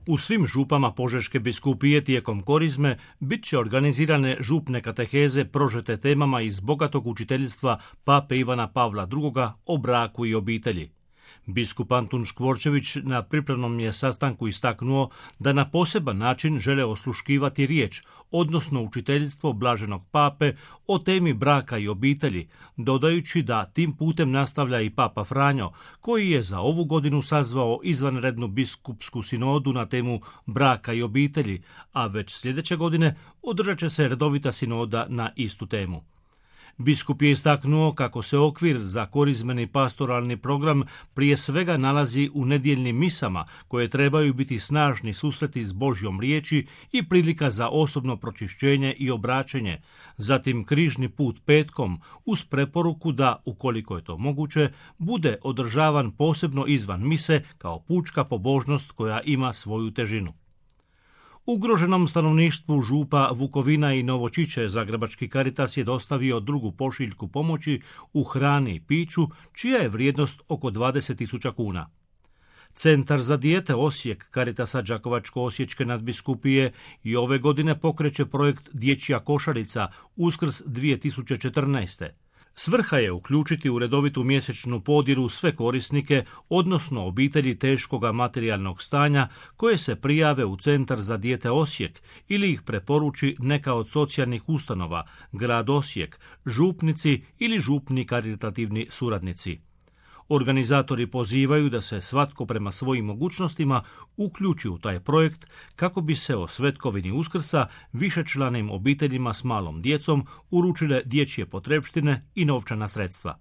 U svim župama Požeške biskupije tijekom korizme bit će organizirane župne kateheze prožete temama iz bogatog učiteljstva pape Ivana Pavla II. O braku i obitelji. Biskup Antun Škvorčević na pripremnom je sastanku istaknuo da na poseban način žele osluškivati riječ, odnosno učiteljstvo blaženog pape o temi braka i obitelji, dodajući da tim putem nastavlja i papa Franjo, koji je za ovu godinu sazvao izvanrednu biskupsku sinodu na temu braka i obitelji, a već sljedeće godine održat će se redovita sinoda na istu temu. Biskup je istaknuo kako se okvir za korizmeni pastoralni program prije svega nalazi u nedjeljnim misama, koje trebaju biti snažni susreti s Božjom riječi i prilika za osobno pročišćenje i obraćenje, zatim križni put petkom uz preporuku da, ukoliko je to moguće, bude održavan posebno izvan mise kao pučka pobožnost koja ima svoju težinu. Ugroženom stanovništvu župa Vukovina i Novočiće Zagrebački Caritas je dostavio drugu pošiljku pomoći u hrani i piću, čija je vrijednost oko 20.000 kuna. Centar za dijete Osijek Caritasa Đakovačko-osječke nadbiskupije i ove godine pokreće projekt Dječja košarica Uskrs 2014. Svrha je uključiti u redovitu mjesečnu podiru sve korisnike, odnosno obitelji teškoga materijalnog stanja, koje se prijave u Centar za dijete Osijek ili ih preporuči neka od socijalnih ustanova, grad Osijek, župnici ili župni karitativni suradnici. Organizatori pozivaju da se svatko prema svojim mogućnostima uključi u taj projekt kako bi se o svetkovini Uskrsa višečlanim obiteljima s malom djecom uručile dječje potrepštine i novčana sredstva.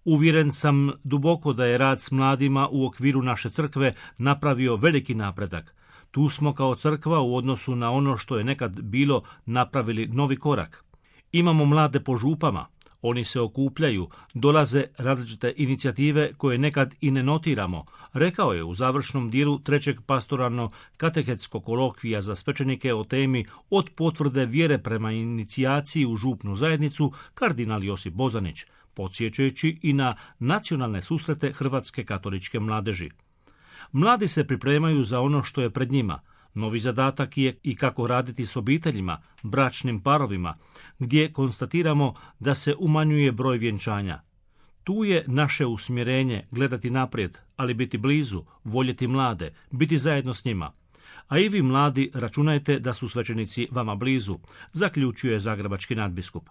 Uvjeren sam duboko da je rad s mladima u okviru naše crkve napravio veliki napredak. Tu smo kao crkva u odnosu na ono što je nekad bilo napravili novi korak. Imamo mlade po župama. Oni se okupljaju, dolaze različite inicijative koje nekad i ne notiramo, rekao je u završnom dijelu trećeg pastoralno-katehetskog kolokvija za svećenike o temi Od potvrde vjere prema inicijaciji u župnu zajednicu kardinal Josip Bozanić, podsjećajući i na nacionalne susrete Hrvatske katoličke mladeži. Mladi se pripremaju za ono što je pred njima. Novi zadatak je i kako raditi s obiteljima, bračnim parovima, gdje konstatiramo da se umanjuje broj vjenčanja. Tu je naše usmjerenje gledati naprijed, ali biti blizu, voljeti mlade, biti zajedno s njima. A i vi mladi računajte da su svećenici vama blizu, zaključuje zagrebački nadbiskup.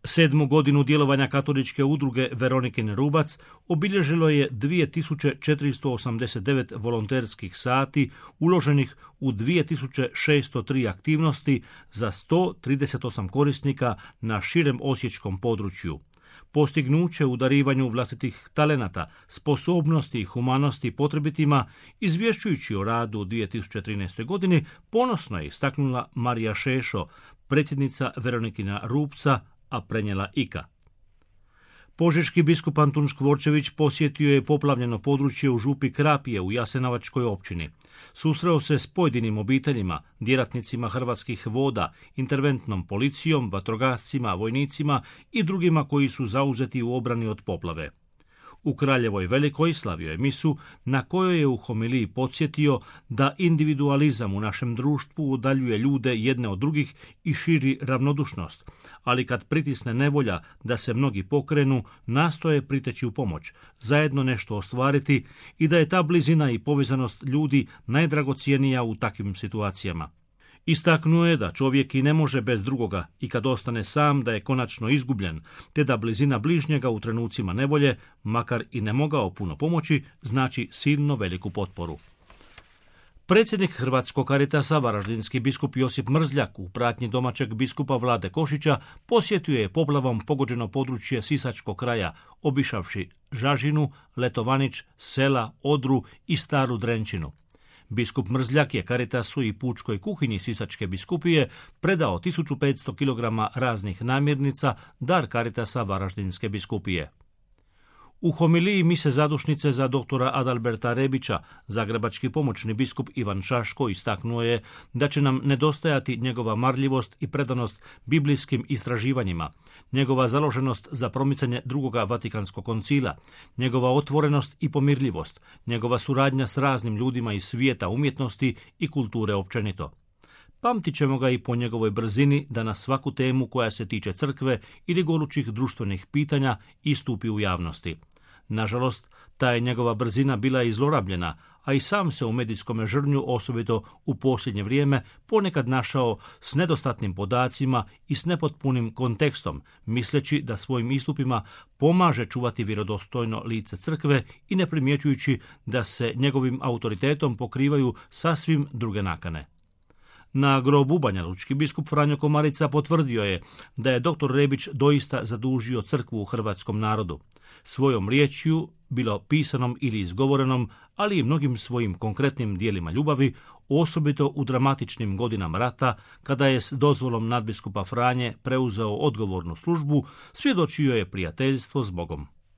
7. godinu djelovanja katoličke udruge Veronikin Rubac obilježilo je 2489 volonterskih sati uloženih u 2603 aktivnosti za 138 korisnika na širem osječkom području. Postignuće u darivanju vlastitih talenata, sposobnosti i humanosti potrebitima, izvješćujući o radu u 2013. godini, ponosno je istaknula Marija Šešo, predsjednica Veronikina Rubca, a prenijela Ika. Požeški biskup Antun Škvorčević posjetio je poplavljeno područje u župi Krapje u Jasenovačkoj općini. Susreo se s pojedinim obiteljima, djelatnicima Hrvatskih voda, interventnom policijom, vatrogascima, vojnicima i drugima koji su zauzeti u obrani od poplave. U Kraljevoj Velikoj slavio je misu na kojoj je u homiliji podsjetio da individualizam u našem društvu udaljuje ljude jedne od drugih i širi ravnodušnost, ali kad pritisne nevolja da se mnogi pokrenu, nastoje priteći u pomoć, zajedno nešto ostvariti i da je ta blizina i povezanost ljudi najdragocjenija u takvim situacijama. Istaknuo je da čovjek i ne može bez drugoga i kad ostane sam da je konačno izgubljen, te da blizina bližnjega u trenucima nevolje, makar i ne mogao puno pomoći, znači silno veliku potporu. Predsjednik Hrvatskog Caritasa, varaždinski biskup Josip Mrzljak, u pratnji domaćeg biskupa Vlade Košića, posjetio je poplavom pogođeno područje Sisačkog kraja, obišavši Žažinu, Letovanić, Sela, Odru i Staru Drenčinu. Biskup Mrzljak je Caritasu i pučkoj kuhinji Sisačke biskupije predao 1500 kg raznih namirnica, dar Caritasa Varaždinske biskupije. U homiliji mise zadušnice za doktora Adalberta Rebića, zagrebački pomoćni biskup Ivan Šaško istaknuo je da će nam nedostajati njegova marljivost i predanost biblijskim istraživanjima, njegova založenost za promicanje drugoga Vatikanskog koncila, njegova otvorenost i pomirljivost, njegova suradnja s raznim ljudima iz svijeta umjetnosti i kulture općenito. Pamtit ćemo ga i po njegovoj brzini da na svaku temu koja se tiče crkve ili gorućih društvenih pitanja istupi u javnosti. Nažalost, ta je njegova brzina bila i zlorabljena, a i sam se u medijskom žrnju, osobito u posljednje vrijeme, ponekad našao s nedostatnim podacima i s nepotpunim kontekstom, misleći da svojim istupima pomaže čuvati vjerodostojno lice crkve i ne primjećujući da se njegovim autoritetom pokrivaju sasvim druge nakane. Na grobu banjalučki biskup Franjo Komarica potvrdio je da je dr. Rebić doista zadužio crkvu u hrvatskom narodu. Svojom riječju, bilo pisanom ili izgovorenom, ali i mnogim svojim konkretnim dijelima ljubavi, osobito u dramatičnim godinama rata, kada je s dozvolom nadbiskupa Franje preuzeo odgovornu službu, svjedočio je prijateljstvo s Bogom.